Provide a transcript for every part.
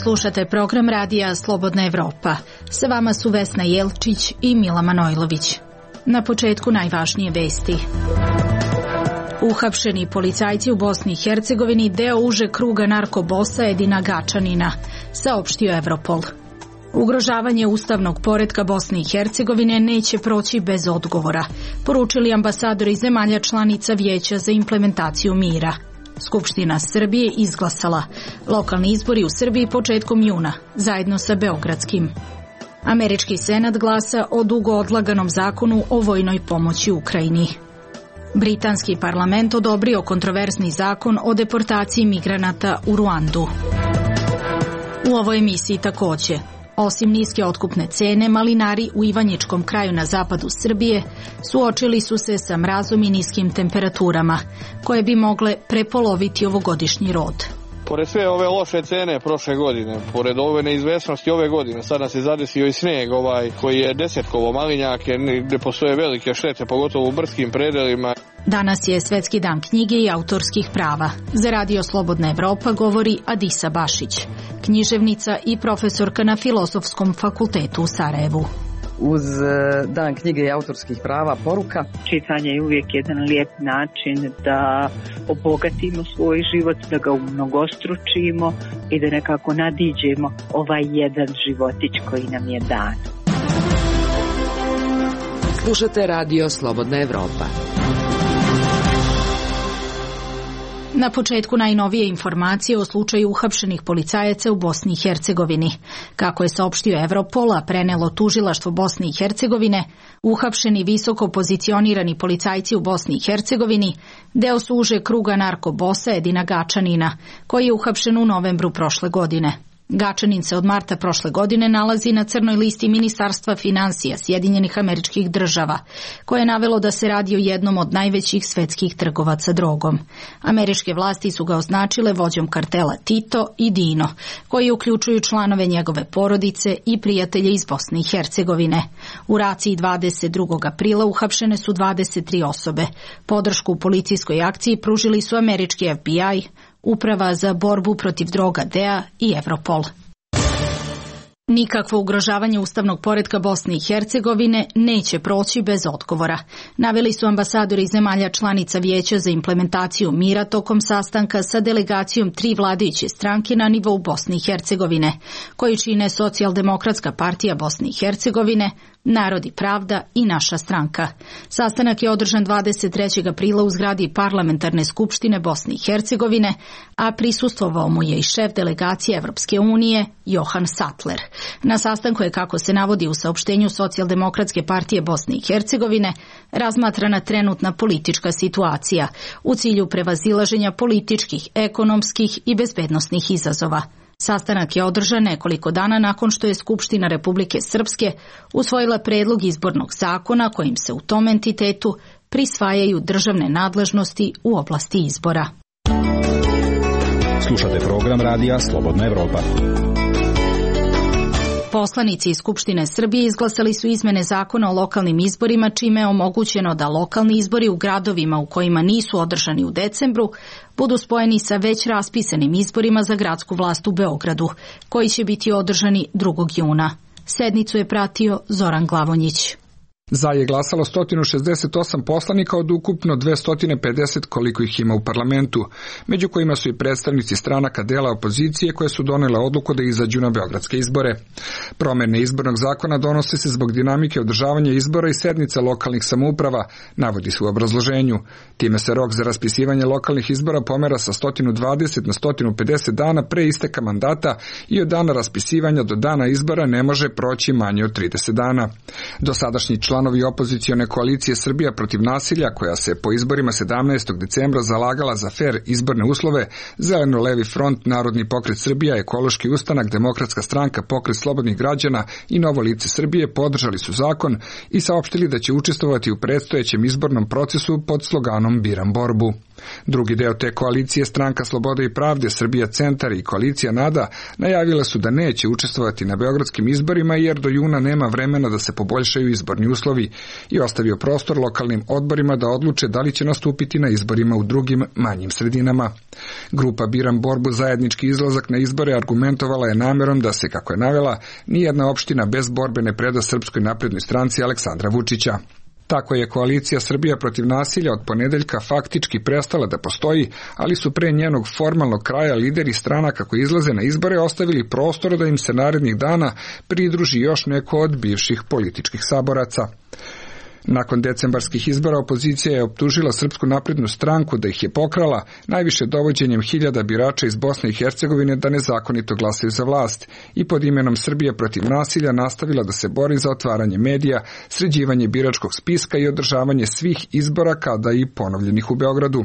Slušate program radija Slobodna Evropa. Sa vama su Vesna Jelčić i Mila Manojlović. Na početku najvažnije vesti. Uhapšeni policajci u Bosni i Hercegovini deo uže kruga narkobosa Edina Gačanina, saopštio Europol. Ugrožavanje ustavnog poretka Bosne i Hercegovine neće proći bez odgovora, poručili ambasadori zemalja članica Vijeća za implementaciju mira. Skupština Srbije izglasala lokalni izbori u Srbiji početkom juna, zajedno sa beogradskim. Američki senat glasa o dugo odlaganom zakonu o vojnoj pomoći Ukrajini. Britanski parlament odobrio kontroverzni zakon o deportaciji migranata u Ruandu. U ovoj emisiji također, osim niske otkupne cene, malinari u Ivanjičkom kraju na zapadu Srbije suočili su se sa mrazom i niskim temperaturama, koje bi mogle prepoloviti ovogodišnji rod. Pored sve ove loše cene prošle godine, pored ove neizvesnosti ove godine, sad nas je zadesio i snijeg koji je desetkovo malinjake, gdje postoje velike štete, pogotovo u brskim predelima. Danas je Svetski dan knjige i autorskih prava. Za Radio Slobodna Evropa govori Adisa Bašić, književnica i profesorka na Filozofskom fakultetu u Sarajevu. Uz dan knjige i autorskih prava poruka. Čitanje je uvijek jedan lijep način da obogatimo svoj život, da ga umnogostručimo i da nekako nadiđemo ovaj jedan životić koji nam je dan. Slušate Radio Slobodna Evropa. Na početku najnovije informacije o slučaju uhapšenih policajaca u Bosni i Hercegovini. Kako je saopštio Europol, a prenelo tužilaštvo Bosne i Hercegovine, uhapšeni visoko pozicionirani policajci u Bosni i Hercegovini deo su uže kruga narkobosa Edina Gačanina, koji je uhapšen u novembru prošle godine. Gačanin se od marta prošle godine nalazi na crnoj listi Ministarstva financija Sjedinjenih Američkih Država, koje je navelo da se radi o jednom od najvećih svetskih trgovaca drogom. Američke vlasti su ga označile vođom kartela Tito i Dino, koji uključuju članove njegove porodice i prijatelje iz Bosne i Hercegovine. U raciji 22. aprila uhapšene su 23 osobe. Podršku u policijskoj akciji pružili su američki FBI, Uprava za borbu protiv droga DEA i Europol. Nikakvo ugrožavanje ustavnog poretka Bosne i Hercegovine neće proći bez odgovora, naveli su ambasadori zemalja članica Vijeća za implementaciju mira tokom sastanka sa delegacijom 3 vladajuće stranke na nivou Bosne i Hercegovine, koji čine Socijaldemokratska partija Bosne i Hercegovine, Narod i pravda i Naša stranka. Sastanak je održan 23. aprila u zgradi Parlamentarne skupštine Bosne i Hercegovine, a prisustvovao mu je i šef delegacije Evropske unije Johan Sattler. Na sastanku je, kako se navodi u saopštenju Socijaldemokratske partije Bosne i Hercegovine, razmatrana trenutna politička situacija u cilju prevazilaženja političkih, ekonomskih i bezbednosnih izazova. Sastanak je održan nekoliko dana nakon što je Skupština Republike Srpske usvojila predlog izbornog zakona kojim se u tom entitetu prisvajaju državne nadležnosti u oblasti izbora. Slušate program radija Slobodna Evropa. Poslanici iz Skupštine Srbije izglasali su izmene zakona o lokalnim izborima, čime je omogućeno da lokalni izbori u gradovima u kojima nisu održani u decembru budu spojeni sa već raspisanim izborima za gradsku vlast u Beogradu, koji će biti održani 2. juna. Sednicu je pratio Zoran Glavonjić. Za je glasalo 168 poslanika od ukupno 250 koliko ih ima u parlamentu, među kojima su i predstavnici stranaka dela opozicije koje su donele odluku da izađu na beogradske izbore. Promene izbornog zakona donose se zbog dinamike održavanja izbora i sednica lokalnih samouprava, navodi se u obrazloženju. Time se rok za raspisivanje lokalnih izbora pomera sa 120 na 150 dana pre isteka mandata i od dana raspisivanja do dana izbora ne može proći manje od 30 dana. Dosadašnji članovi opozicione koalicije Srbija protiv nasilja, koja se po izborima 17. decembra zalagala za fer izborne uslove, Zeleno-levi front, Narodni pokret Srbija, Ekološki ustanak, Demokratska stranka, Pokret slobodnih građana i Novo lice Srbije podržali su zakon i saopštili da će učestvovati u predstojećem izbornom procesu pod sloganom Biram borbu. Drugi deo te koalicije, Stranka slobode i pravde, Srbija centar i koalicija NADA, najavile su da neće učestvovati na beogradskim izborima jer do juna nema vremena da se poboljšaju izborni uslovi i ostavio prostor lokalnim odborima da odluče da li će nastupiti na izborima u drugim manjim sredinama. Grupa Biram borbu zajednički izlazak na izbore argumentovala je namerom da se, kako je navela, nijedna opština bez borbe ne preda Srpskoj naprednoj stranci Aleksandra Vučića. Tako je koalicija Srbija protiv nasilja od ponedeljka faktički prestala da postoji, ali su pre njenog formalnog kraja lideri stranaka koji izlaze na izbore ostavili prostor da im se narednih dana pridruži još neko od bivših političkih saboraca. Nakon decembarskih izbora opozicija je optužila Srpsku naprednu stranku da ih je pokrala, najviše dovođenjem hiljada birača iz Bosne i Hercegovine da nezakonito glasaju za vlast i pod imenom Srbija protiv nasilja nastavila da se bori za otvaranje medija, sređivanje biračkog spiska i održavanje svih izbora kada i ponovljenih u Beogradu.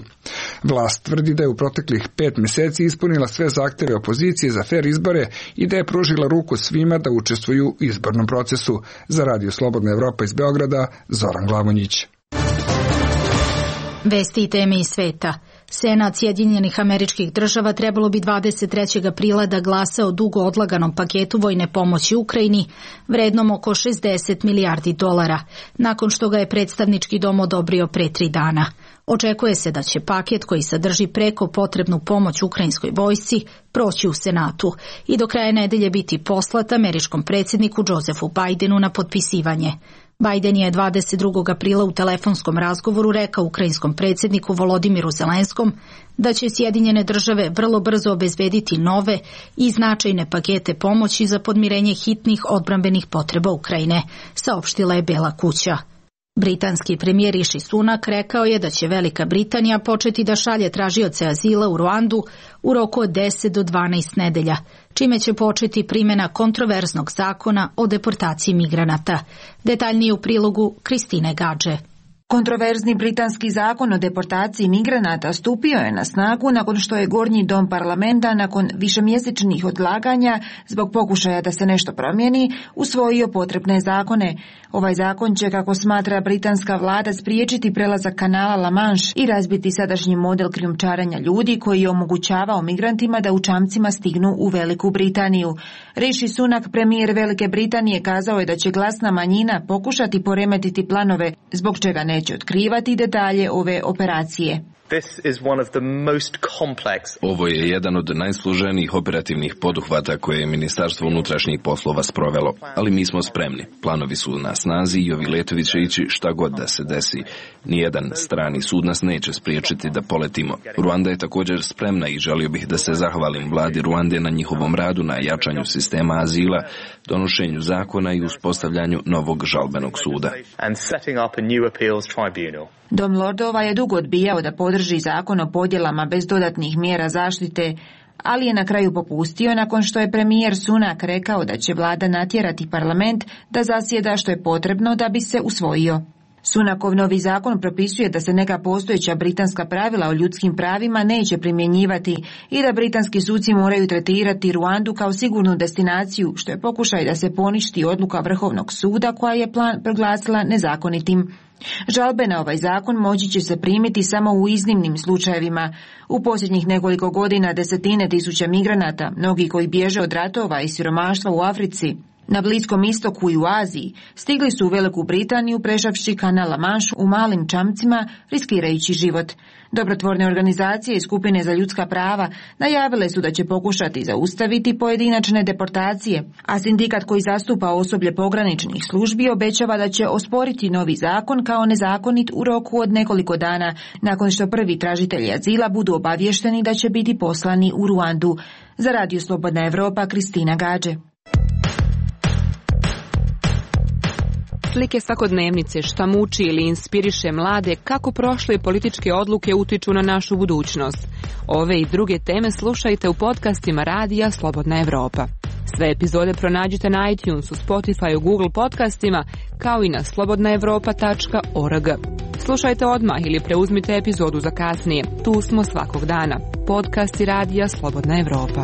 Vlast tvrdi da je u proteklih 5 meseci ispunila sve zahteve opozicije za fer izbore i da je pružila ruku svima da učestvuju u izbornom procesu. Za Radio Slobodna Evropa iz Beograda, Zoran Glavonjić. Vesti i teme iz sveta. Senat Sjedinjenih Američkih Država trebalo bi 23. aprila da glasa o dugo odlaganom paketu vojne pomoći Ukrajini, vrednom oko $60 milijardi, nakon što ga je predstavnički dom odobrio pre 3 dana. Očekuje se da će paket koji sadrži preko potrebnu pomoć ukrajinskoj vojsci proći u Senatu i do kraja nedelje biti poslat američkom predsjedniku Josephu Bidenu na potpisivanje. Biden je 22. aprila u telefonskom razgovoru rekao ukrajinskom predsjedniku Volodimiru Zelenskom da će Sjedinjene Države vrlo brzo obezbediti nove i značajne pakete pomoći za podmirenje hitnih odbrambenih potreba Ukrajine, saopštila je Bela kuća. Britanski premijer Rishi Sunak rekao je da će Velika Britanija početi da šalje tražioce azila u Ruandu u roku od 10 do 12 nedelja, čime će početi primjena kontroverznog zakona o deportaciji migranata. Detaljnije u prilogu Kristine Gadže. Kontroverzni britanski zakon o deportaciji migranata stupio je na snagu nakon što je Gornji dom parlamenta nakon višemjesečnih odlaganja zbog pokušaja da se nešto promijeni usvojio potrebne zakone. Ovaj zakon će, kako smatra britanska vlada, spriječiti prelazak kanala La Manche i razbiti sadašnji model krijumčarenja ljudi koji je omogućavao migrantima da u čamcima stignu u Veliku Britaniju. Rishi Sunak, premijer Velike Britanije, kazao je da će glasna manjina pokušati poremetiti planove, zbog čega neće otkrivati detalje ove operacije. Ovo je jedan od najsloženijih operativnih poduhvata koje je Ministarstvo unutrašnjih poslova sprovelo, ali mi smo spremni. Planovi su na snazi i ovi letovi će ići šta god da se desi. Nijedan strani sud nas neće spriječiti da poletimo. Ruanda je također spremna i želio bih da se zahvalim vladi Ruande na njihovom radu na jačanju sistema azila, donošenju zakona i uspostavljanju novog žalbenog suda. Dom lordova je dugo odbijao da podrži zakon o podjelama bez dodatnih mjera zaštite, ali je na kraju popustio nakon što je premijer Sunak rekao da će vlada natjerati parlament da zasjeda što je potrebno da bi se usvojio. Sunakov novi zakon propisuje da se neka postojeća britanska pravila o ljudskim pravima neće primjenjivati i da britanski suci moraju tretirati Ruandu kao sigurnu destinaciju, što je pokušaj da se poništi odluka Vrhovnog suda koja je plan proglasila nezakonitim. Žalbe na ovaj zakon moći će se primiti samo u iznimnim slučajevima. U posljednjih nekoliko godina desetine tisuća migranata, mnogi koji bježe od ratova i siromaštva u Africi, na Bliskom istoku i u Aziji, stigli su u Veliku Britaniju prešavši kanal La Manche u malim čamcima, riskirajući život. Dobrotvorne organizacije i skupine za ljudska prava najavile su da će pokušati zaustaviti pojedinačne deportacije, a sindikat koji zastupa osoblje pograničnih službi obećava da će osporiti novi zakon kao nezakonit u roku od nekoliko dana, nakon što prvi tražitelji azila budu obavješteni da će biti poslani u Ruandu. Za Radio Slobodna Evropa, Kristina Gadže. Slike svakodnevnice, šta muči ili inspiriše mlade, kako prošle političke odluke utiču na našu budućnost. Ove i druge teme slušajte u podcastima Radija Slobodna Evropa. Sve epizode pronađite na iTunesu, Spotifyu, Google podcastima, kao i na slobodnaevropa.org. Slušajte odmah ili preuzmite epizodu za kasnije. Tu smo svakog dana. Podcasti Radija Slobodna Evropa.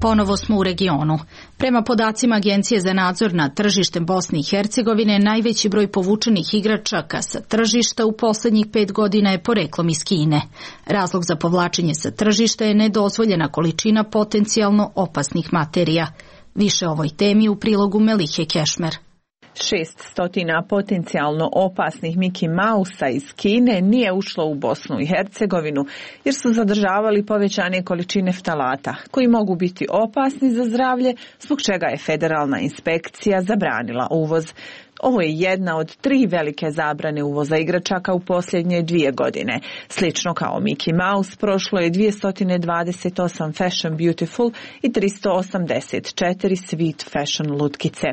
Ponovo smo u regionu. Prema podacima Agencije za nadzor nad tržištem Bosne i Hercegovine, najveći broj povučenih igračaka sa tržišta u posljednjih 5 godina je poreklom iz Kine. Razlog za povlačenje sa tržišta je nedozvoljena količina potencijalno opasnih materija. Više o ovoj temi u prilogu Melihe Kešmer. 600 potencijalno opasnih Mickey Mouse-a iz Kine nije ušlo u Bosnu i Hercegovinu jer su zadržavali povećane količine ftalata koji mogu biti opasni za zdravlje, zbog čega je federalna inspekcija zabranila uvoz. Ovo je jedna od 3 velike zabrane uvoza igračaka u posljednje 2 godine. Slično kao Mickey Mouse, prošlo je 228 Fashion Beautiful i 384 Sweet Fashion lutkice.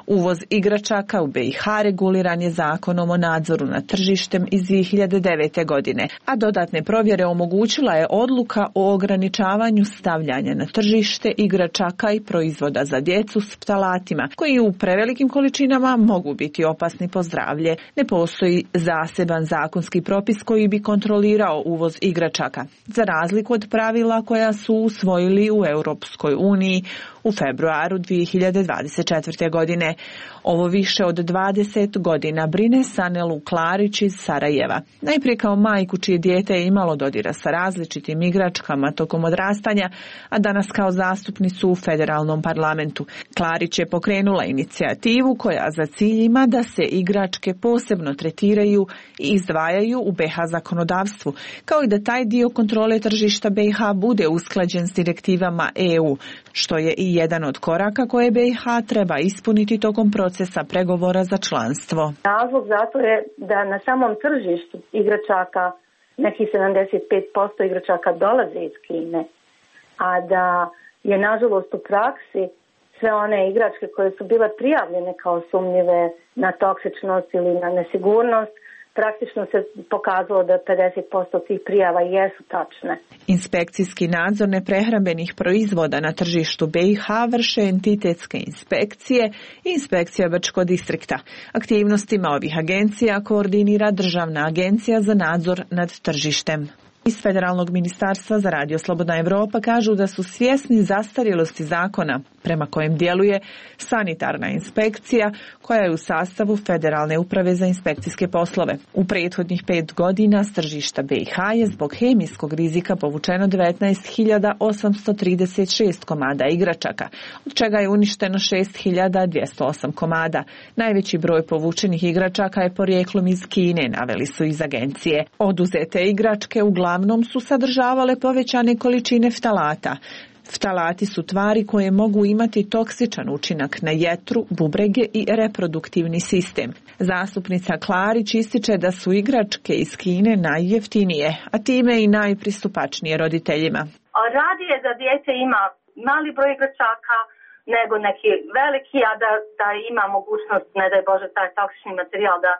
Uvoz igračaka u BiH reguliran je zakonom o nadzoru nad tržištem iz 2009. godine, a dodatne provjere omogućila je odluka o ograničavanju stavljanja na tržište igračaka i proizvoda za djecu s ftalatima, koji u prevelikim količinama mogu biti opasni po zdravlje. Ne postoji zaseban zakonski propis koji bi kontrolirao uvoz igračaka, za razliku od pravila koja su usvojili u Europskoj uniji u februaru 2024. godine. Ovo više od 20 godina brine Sanelu Klarić iz Sarajeva. Najprije kao majku čije dijete je imalo dodira sa različitim igračkama tokom odrastanja, a danas kao zastupnicu u federalnom parlamentu. Klarić je pokrenula inicijativu koja za cilj ima da se igračke posebno tretiraju i izdvajaju u BiH zakonodavstvu, kao i da taj dio kontrole tržišta BiH bude usklađen s direktivama EU, što je i jedan od koraka koje BiH treba ispuniti tokom procesa pregovora za članstvo. Razlog zato je da na samom tržištu igračaka, nekih 75% igračaka dolaze iz Kine, a da je nažalost u praksi sve one igračke koje su bile prijavljene kao sumnjive na toksičnost ili na nesigurnost, praktično se pokazalo da 50% tih prijava jesu tačne. Inspekcijski nadzor neprehrambenih proizvoda na tržištu BiH vrše entitetske inspekcije i inspekcija Brčko distrikta. Aktivnostima ovih agencija koordinira Državna agencija za nadzor nad tržištem. Iz Federalnog ministarstva za Radio Slobodna Evropa kažu da su svjesni zastarjelosti zakona prema kojem djeluje sanitarna inspekcija koja je u sastavu Federalne uprave za inspekcijske poslove. U prethodnih 5 godina s tržišta BiH je zbog hemijskog rizika povučeno 19.836 komada igračaka, od čega je uništeno 6.208 komada. Najveći broj povučenih igračaka je porijeklom iz Kine, naveli su iz agencije. Oduzete igračke uglavnom su sadržavale povećane količine ftalata. Ftalati su tvari koje mogu imati toksičan učinak na jetru, bubrege i reproduktivni sistem. Zastupnica Klarić ističe da su igračke iz Kine najjeftinije, a time i najpristupačnije roditeljima. Radije da dijete ima mali broj igračaka nego neki veliki, a da ima mogućnost, ne daj Bože, taj toksični materijal da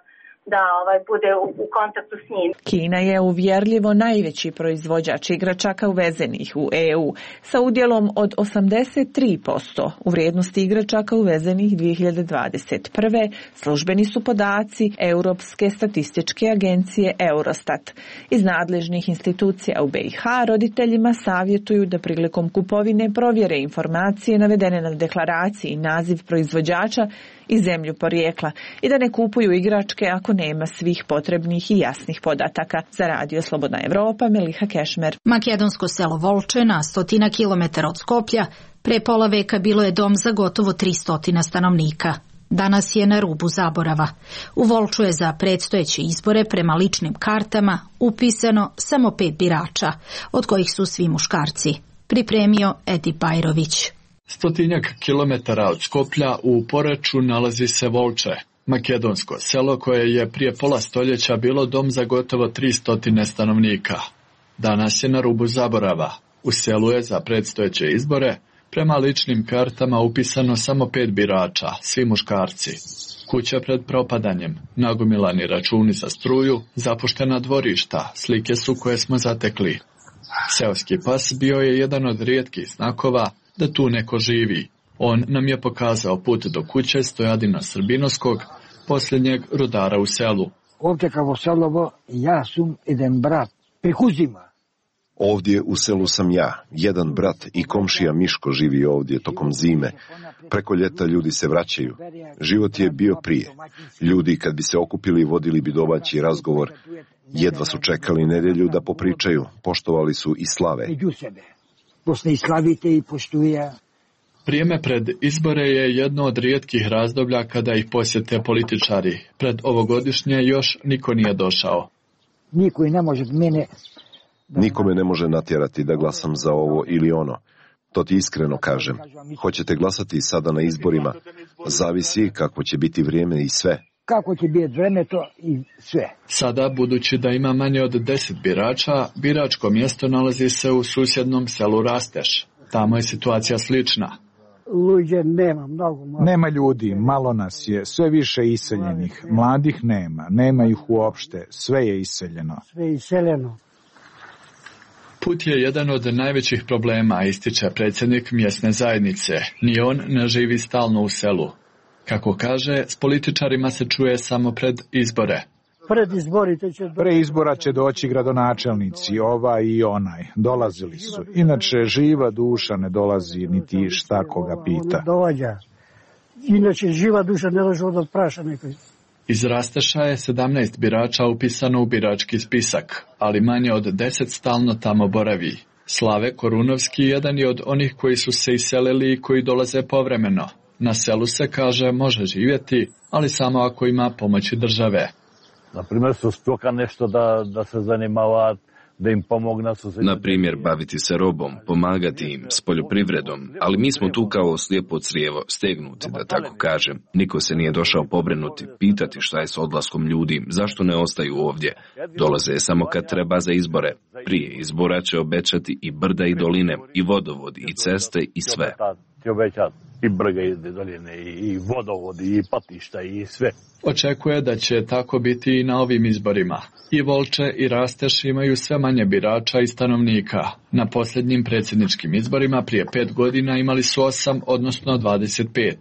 bude u kontaktu s njim. Kina je uvjerljivo najveći proizvođač igračaka uvezenih u EU, sa udjelom od 83% u vrijednosti igračaka uvezenih 2021. Službeni su podaci Europske statističke agencije Eurostat. Iz nadležnih institucija u BiH roditeljima savjetuju da prilikom kupovine provjere informacije navedene na deklaraciji i naziv proizvođača i zemlju porijekla i da ne kupuju igračke ako nema svih potrebnih i jasnih podataka. Za Radio Slobodna Evropa, Meliha Kešmer. Makedonsko selo Volče na 100 km od Skoplja pre pola veka bilo je dom za gotovo 300 stanovnika. Danas je na rubu zaborava. U Volču je za predstojeće izbore prema ličnim kartama upisano samo 5 birača, od kojih su svi muškarci. Pripremio Edi Bajrović. 100 kilometara od Skoplja u Poreču nalazi se Volče, makedonsko selo koje je prije pola stoljeća bilo dom za gotovo 300 stanovnika. Danas je na rubu zaborava. U selu je za predstojeće izbore prema ličnim kartama upisano samo 5 birača, svi muškarci. Kuća pred propadanjem, nagomilani računi za struju, zapuštena dvorišta, slike su koje smo zatekli. Seoski pas bio je jedan od rijetkih znakova da tu neko živi. On nam je pokazao put do kuće Stojadina Srbinovskog, posljednjeg rudara u selu. Ovdje kao Selovo, ja sam jedan brat, Prikuzima. Ovdje u selu sam ja, jedan brat i komšija Miško živi ovdje tokom zime. Preko ljeta ljudi se vraćaju. Život je bio prije. Ljudi kad bi se okupili vodili bi domaći razgovor. Jedva su čekali nedjelju da popričaju. Poštovali su i slave. Vrijeme pred izbore je jedno od rijetkih razdoblja kada ih posjete političari. Pred ovogodišnje još niko nije došao. Niko me ne može natjerati da glasam za ovo ili ono. To ti iskreno kažem. Hoćete glasati sada na izborima? Zavisi kako će biti vrijeme i sve. Kako će biti vrijeme to i sve. Sada, budući da ima manje od 10 birača, biračko mjesto nalazi se u susjednom selu Rasteš. Tamo je situacija slična. Nema ljudi, malo nas je, sve više iseljenih. Mladih nema ih uopšte, sve je iseljeno. Put je jedan od najvećih problema, ističe predsjednik mjesne zajednice. Ni on ne živi stalno u selu. Kako kaže, s političarima se čuje samo pred izbore. Pre izbora će doći gradonačelnici, ovaj i onaj. Dolazili su. Inače, živa duša ne dolazi, niti šta koga pita. Inače, živa duša ne dolazi od praša nekoj. Iz Rasteša je 17 birača upisano u birački spisak, ali manje od 10 stalno tamo boravi. Slave Korunovski jedan je od onih koji su se iselili i koji dolaze povremeno. Na selu se, kaže, može živjeti, ali samo ako ima pomoći države. Naprimjer, su stoka nešto da se zanimava, da im pomogna. Na primjer, baviti se robom, pomagati im s poljoprivredom, ali mi smo tu kao slijepo crijevo, stegnuti, da tako kažem. Niko se nije došao pobrinuti, pitati šta je s odlaskom ljudi, zašto ne ostaju ovdje. Dolaze samo kad treba za izbore. Prije izbora će obećati i brda i doline, i vodovodi, i ceste, i sve. I brga i doline, i vodovodi, i patišta, i sve. Očekuje da će tako biti i na ovim izborima. I Volče i Rasteš imaju sve manje birača i stanovnika. Na posljednjim predsjedničkim izborima prije 5 godina imali su 8, odnosno 25.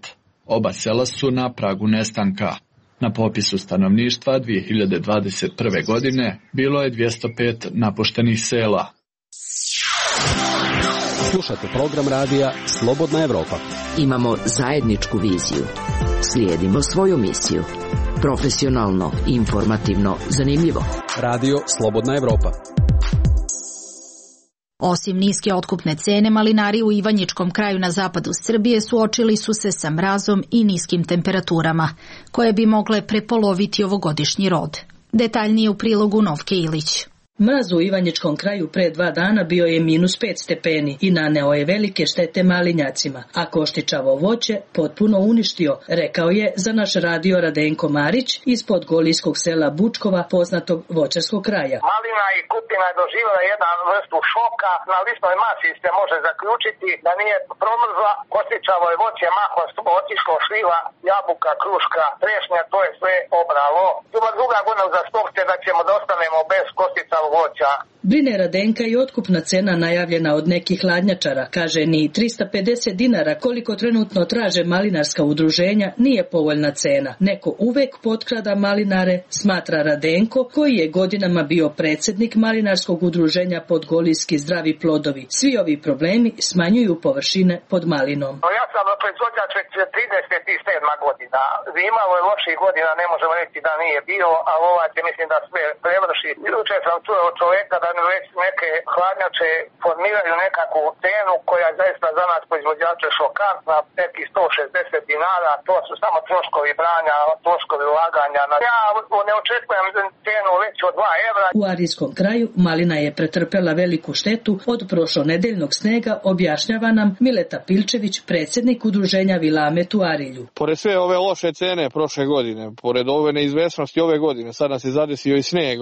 Oba sela su na pragu nestanka. Na popisu stanovništva 2021. godine bilo je 205 napuštenih sela. Slušate program radija Slobodna Evropa. Imamo zajedničku viziju. Slijedimo svoju misiju. Profesionalno, informativno, zanimljivo. Radio Slobodna Evropa. Osim niske otkupne cene, malinari u Ivanjičkom kraju na zapadu Srbije suočili su se sa mrazom i niskim temperaturama, koje bi mogle prepoloviti ovogodišnji rod. Detaljnije u prilogu Novke Ilić. Mraz u Ivanjičkom kraju pre 2 dana bio je -5 stepeni i naneo je velike štete malinjacima, a koštičavo voće potpuno uništio, rekao je za naš radio Radenko Marić iz podgolijskog sela Bučkova, poznatog voćarskog kraja. Malina i kupina je doživjela jednu vrstu šoka. Na listnoj masi se može zaključiti da nije promrzla. Koštičavo je voće mahom otišlo, šljiva, jabuka, kruška, trešnja, to je sve obralo. Druga godina za stokce da ćemo da ostanemo bez koštičavog voća. Brine Radenka i otkupna cena najavljena od nekih hladnjačara. Kaže, ni 350 dinara koliko trenutno traže malinarska udruženja nije povoljna cena. Neko uvek potkrada malinare, smatra Radenko, koji je godinama bio predsjednik malinarskog udruženja Podgolijski zdravi plodovi. Svi ovi problemi smanjuju površine pod malinom. Ja sam proizvođač već 37 godina. Imalo je loših godina, ne možemo reći da nije bio, a ovaj će mislim da sve prevrši. Jučer sam čuo od čovjeka da već neke hladnjače formiraju nekakvu cenu koja je zaista za nas proizvođače šokantna, neki 160 dinara, to su samo troškovi branja, troškovi ulaganja. Ja ne očekujem cenu već od 2 evra. U Arijskom kraju malina je pretrpela veliku štetu od prošlonedeljnog snega, objašnjava nam Mileta Pilčević, predsjednik udruženja Vilamet u Arilju. Pored sve ove loše cene prošle godine, pored ove neizvesnosti ove godine, sad nas je zadesio i sneg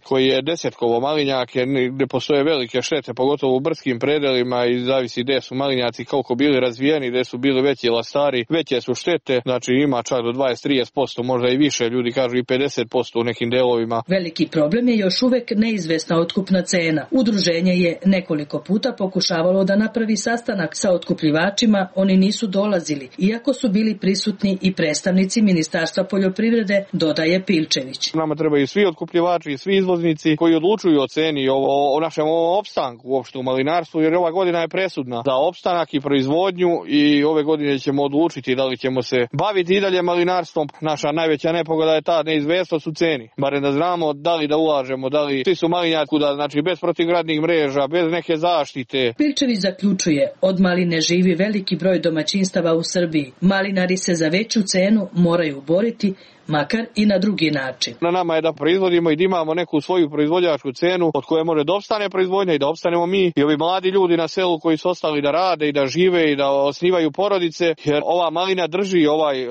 koji je desetkovo malinjake, gdje postoje velike štete, pogotovo u brdskim predelima i zavisi gdje su malinjaci koliko bili razvijeni, gdje su bili veći lastari, veće su štete, znači ima čak do 20-30%, možda i više, ljudi kažu i 50% u nekim delovima. Veliki problem je još uvek neizvesna otkupna cena. Udruženje je nekoliko puta pokušavalo da napravi sastanak sa otkupljivačima, oni nisu dolazili, iako su bili prisutni prisutni i predstavnici Ministarstva poljoprivrede, dodaje Pilčević. Nama trebaju svi otkupljivači i svi izvoznici koji odlučuju o ceni, o našem opstanku uopšte u malinarstvu, jer ova godina je presudna za opstanak i proizvodnju i ove godine ćemo odlučiti da li ćemo se baviti i dalje malinarstvom. Naša najveća nepogoda je ta neizvesnost u ceni. Barem da znamo da li da ulažemo, da li svi su malinjari kuda, znači bez protivgradnih mreža, bez neke zaštite. Pilčević zaključuje, od maline živi veliki broj domaćinstava u Srbiji. Malinari se za veću cenu moraju boriti, makar i na drugi način. Na nama je da proizvodimo i da imamo neku svoju proizvođačku cenu od koje može da opstane proizvodnja i da opstanemo mi i ovi mladi ljudi na selu koji su ostali da rade i da žive i da osnivaju porodice, jer ova malina drži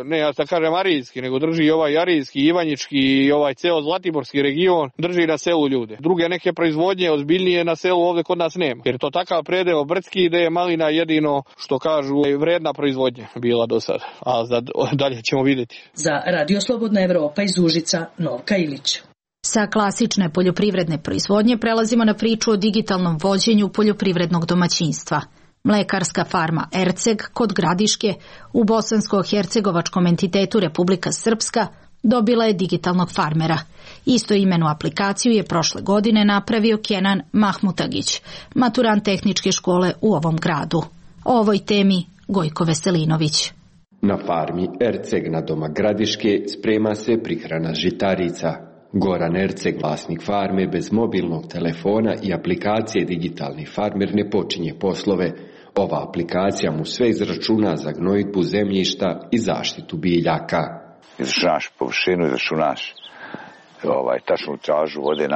ne ja da kažem arijski, nego drži ovaj arijski, ivanjički i ovaj ceo zlatiborski region, drži na selu ljude. Druge neke proizvodnje ozbiljnije na selu ovdje kod nas nema, jer to takav predeo brdski da je malina jedino što kažu vredna proizvodnja bila do sada, a dalje ćemo vidjeti. Za Radio Slobodna Evropa iz Užica, Novka Ilić. Sa klasične poljoprivredne proizvodnje prelazimo na priču o digitalnom vođenju poljoprivrednog domaćinstva. Mlekarska farma Erceg kod Gradiške u bosansko-hercegovačkom entitetu Republika Srpska dobila je digitalnog farmera. Istoimenu aplikaciju je prošle godine napravio Kenan Mahmutagić, maturant tehničke škole u ovom gradu. O ovoj temi Gojko Veselinović. Na farmi Erceg na doma Gradiške sprema se prihrana žitarica. Goran Erceg, vlasnik farme, bez mobilnog telefona i aplikacije Digitalni farmer ne počinje poslove. Ova aplikacija mu sve izračuna za gnojidbu zemljišta i zaštitu biljaka. Izračunaš površinu, izračunaš tačnu čažu vode,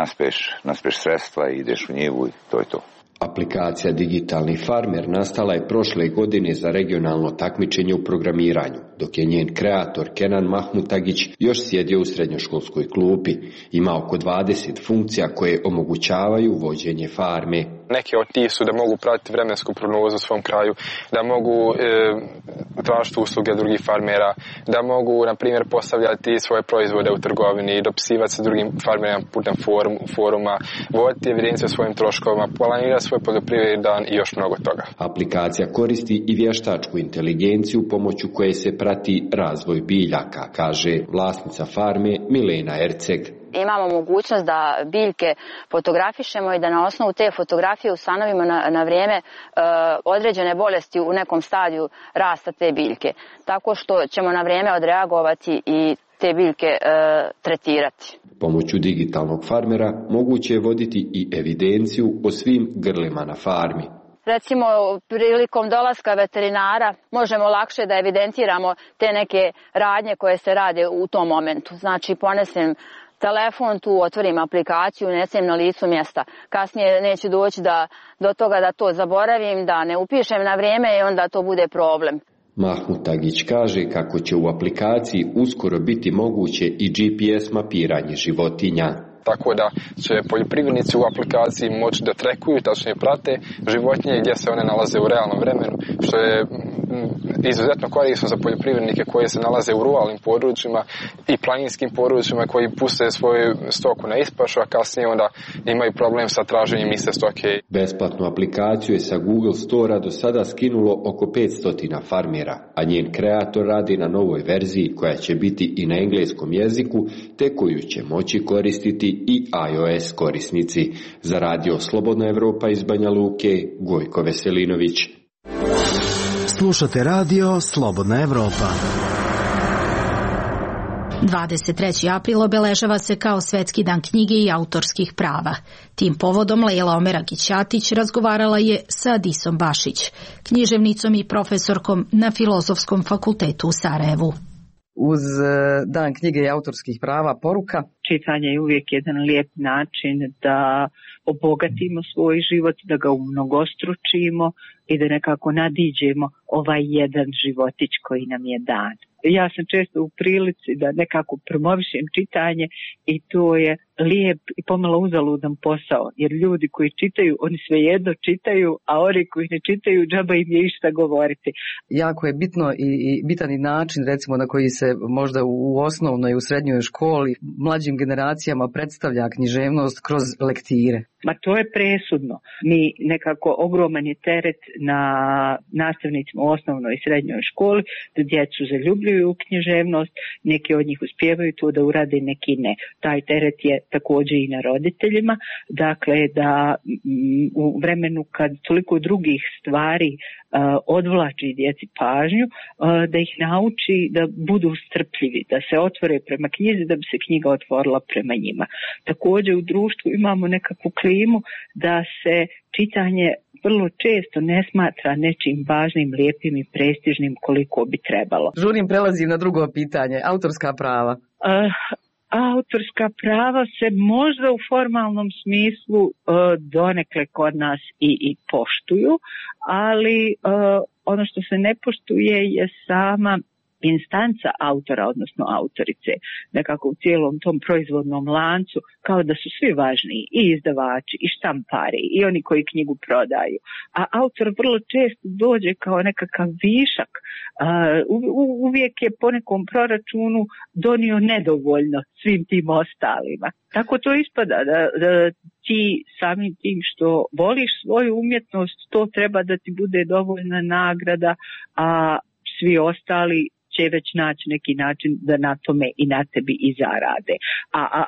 naspeš sredstva i ideš u njivu i to je to. Aplikacija Digitalni farmer nastala je prošle godine za regionalno takmičenje u programiranju, dok je njen kreator Kenan Mahmutagić još sjedio u srednjoškolskoj klupi. Ima oko 20 funkcija koje omogućavaju vođenje farme. Neke od tih su da mogu pratiti vremensku prognozu u svom kraju, da mogu tražiti usluge drugih farmera, da mogu, na primjer, postavljati svoje proizvode u trgovini, dopisivati se drugim farmerima putem foruma, voditi evidenciju o svojim troškovima, planirati svoj poljoprivredni dan i još mnogo toga. Aplikacija koristi i vještačku inteligenciju pomoću koje se prati razvoj biljaka, kaže vlasnica farme Milena Erceg. Imamo mogućnost da biljke fotografišemo i da na osnovu te fotografije ustanovimo na vrijeme određene bolesti u nekom stadiju rasta te biljke. Tako što ćemo na vrijeme odreagovati i te biljke tretirati. Pomoću digitalnog farmera moguće je voditi i evidenciju o svim grlima na farmi. Recimo, prilikom dolaska veterinara možemo lakše da evidentiramo te neke radnje koje se rade u tom momentu. Znači, ponesem telefon, tu otvorim aplikaciju, unesem na licu mjesta. Kasnije neće doći do toga da to zaboravim, da ne upišem na vrijeme i onda to bude problem. Mahmutagić kaže kako će u aplikaciji uskoro biti moguće i GPS mapiranje životinja. Tako da će poljoprivrednici u aplikaciji moći da trekuju, tačnije prate životinje gdje se one nalaze u realnom vremenu, što je izuzetno korisno za poljoprivrednike koji se nalaze u ruralnim područjima i planinskim područjima koji puste svoju stoku na ispašu, a kasnije onda imaju problem sa traženjem iste stoke. Besplatnu aplikaciju je sa Google Store-a do sada skinulo oko 500 farmera, a njen kreator radi na novoj verziji koja će biti i na engleskom jeziku, te koju će moći koristiti i iOS korisnici. Za Radio Slobodna Evropa iz Banja Luke, Gojko Veselinović. Slušate Radio Slobodna Evropa. 23. april obeležava se kao Svetski dan knjige i autorskih prava. Tim povodom Lejla Omeragić-Ćatić razgovarala je sa Adisom Bašić, književnicom i profesorkom na Filozofskom fakultetu u Sarajevu. Uz dan knjige i autorskih prava poruka. Čitanje je uvijek jedan lijep način da obogatimo svoj život, da ga umnogostručimo i da nekako nadiđemo ovaj jedan životić koji nam je dan. Ja sam često u prilici da nekako promovišem čitanje i to je lijep i pomalo uzaludan posao, jer ljudi koji čitaju, oni svejedno čitaju, a oni koji ne čitaju, džaba im je išta govoriti. Jako je bitno i bitan i način, recimo, na koji se možda u osnovnoj i u srednjoj školi mlađim generacijama predstavlja književnost kroz lektire. Ma to je presudno. Mi nekako ogroman je teret na nastavnicima u osnovnoj i srednjoj školi da djecu zaljubljuju u književnost, neki od njih uspijevaju to da urade, neki ne. Taj teret je također i na roditeljima, dakle da u vremenu kad toliko drugih stvari odvlači djeci pažnju, da ih nauči da budu strpljivi, da se otvore prema knjizi, da bi se knjiga otvorila prema njima. Također u društvu imamo nekakvu klimu da se čitanje vrlo često ne smatra nečim važnim, lijepim i prestižnim koliko bi trebalo. Žurim, prelazim na drugo pitanje, autorska prava. Autorska prava se možda u formalnom smislu donekle kod nas i poštuju, ali ono što se ne poštuje je sama instanca autora, odnosno autorice, nekako u cijelom tom proizvodnom lancu, kao da su svi važniji, i izdavači, i štampari, i oni koji knjigu prodaju. A autor vrlo često dođe kao nekakav višak, uvijek je po nekom proračunu donio nedovoljno svim tim ostalima. Tako to ispada, da ti samim tim što voliš svoju umjetnost, to treba da ti bude dovoljna nagrada, a svi ostali će već naći neki način da na tome i na tebi i zarade.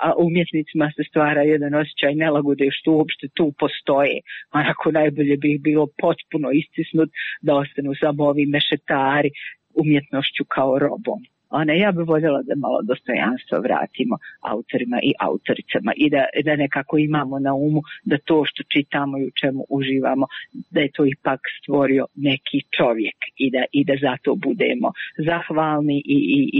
A umjetnicima se stvara jedan osjećaj nelagode što uopšte tu postoje. Onako najbolje bi ih bilo potpuno istisnut da ostanu samo ovi mešetari umjetnošću kao robom. Ja bih voljela da malo dostojanstvo vratimo autorima i autoricama i da nekako imamo na umu da to što čitamo i u čemu uživamo, da je to ipak stvorio neki čovjek i da zato budemo zahvalni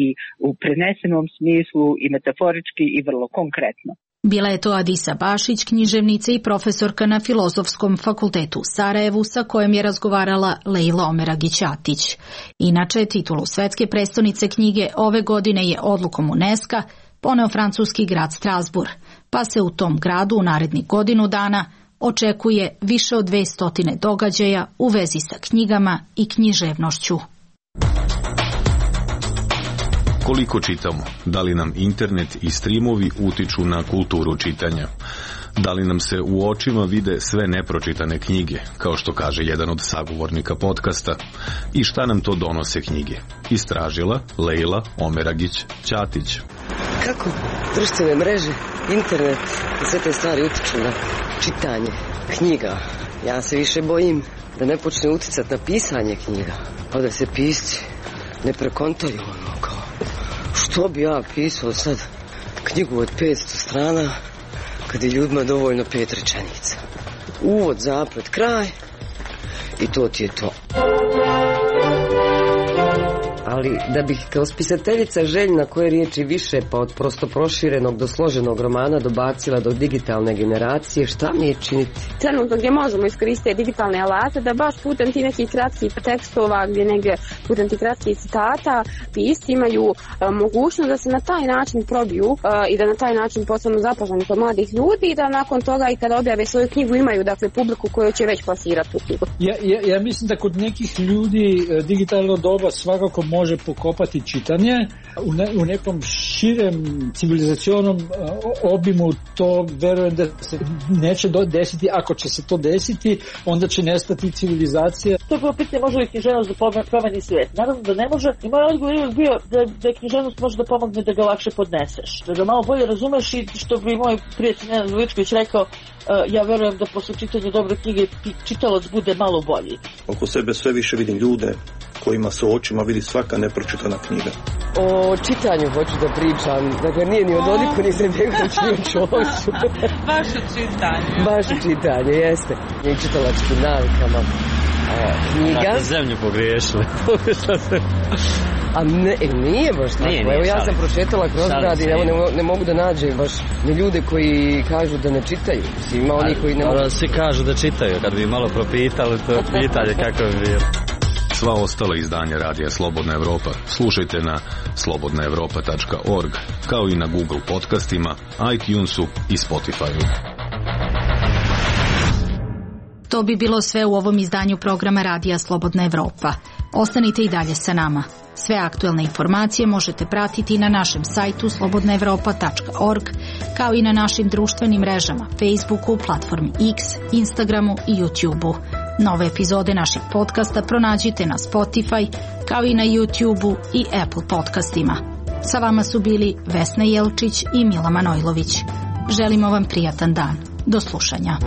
i u prenesenom smislu i metaforički i vrlo konkretno. Bila je to Adisa Bašić, književnica i profesorka na Filozofskom fakultetu u Sarajevu, sa kojom je razgovarala Leila Omeragić-Atić. Inače, titulu svetske prestonice knjige ove godine je odlukom UNESCO poneo francuski grad Strasbourg, pa se u tom gradu u narednih godinu dana očekuje više od 200 događaja u vezi sa knjigama i književnošću. Koliko čitamo? Da li nam internet i streamovi utiču na kulturu čitanja? Da li nam se u očima vide sve nepročitane knjige, kao što kaže jedan od sagovornika podcasta? I šta nam to donose knjige? Istražila Leila Omeragić-Ćatić. Kako društvene mreže, internet i sve te stvari utiču na čitanje knjiga? Ja se više bojim da ne počne uticati na pisanje knjiga, pa da se pisci ne prekontaju kao što bi ja pisao sad knjigu od 500 strana kad je ljudima dovoljno 5 rečenica. Uvod, zaplet, kraj i to ti je to. Ali da bih kao spisateljica željna koje riječi više pa od prosto proširenog do složenog romana dobacila do digitalne generacije, šta mi je činiti? Trenutno gdje možemo iskoristiti digitalne alate da baš putem ti nekih kratkih tekstova, gdje negdje putem ti kratkih citata pisci imaju mogućnost da se na taj način probiju i da na taj način postanu zapaženi kod mladih ljudi i da nakon toga i kada objave svoju knjigu imaju dakle publiku koju će već plasirati tu knjigu. Ja mislim da kod nekih ljudi digitalno doba svakako može pokopati čitanje. U nekom širem civilizacionom obimu to verujem da se neće desiti. Ako će se to desiti, onda će nestati civilizacija. To je pitanje, može li književnost da promeni svijet? Naravno da ne može. I moj odgovor je bio da književnost može da pomogne da ga lakše podneseš. Da ga malo bolje razumeš i što bi moj prijatelj Nenad Veličković rekao, ja verujem da posle čitanja dobre knjige čitalac bude malo bolji. Oko sebe sve više vidim ljude kojima se očima vidi svaka nepročitana knjiga. O čitanju hoću da pričam, dakle nije ni o Dodiku, ni Izetbegoviću, ni o Čoviću. Vaše čitanje. Vaše čitanje, jeste. I čitalačkim navikama. Knjiga. Dakle, zemlju pogriješili. A nije baš tako. Evo ja sam prošetala kroz grad i ne mogu da nađem baš ni ljude koji kažu da ne čitaju. Ima oni koji ne mogu. Svi kažu da čitaju, kad bi malo propitali to pitanje kako bi bilo. Sva ostala izdanja Radija Slobodna Evropa slušajte na slobodnaevropa.org, kao i na Google podcastima, iTunesu i Spotifyu. To bi bilo sve u ovom izdanju programa Radija Slobodna Evropa. Ostanite i dalje sa nama. Sve aktuelne informacije možete pratiti na našem sajtu slobodnaevropa.org, kao i na našim društvenim mrežama, Facebooku, platformi X, Instagramu i YouTubeu. Nove epizode naših podcasta pronađite na Spotify, kao i na YouTubeu i Apple podcastima. Sa vama su bili Vesna Jelčić i Mila Manojlović. Želimo vam prijatan dan. Do slušanja.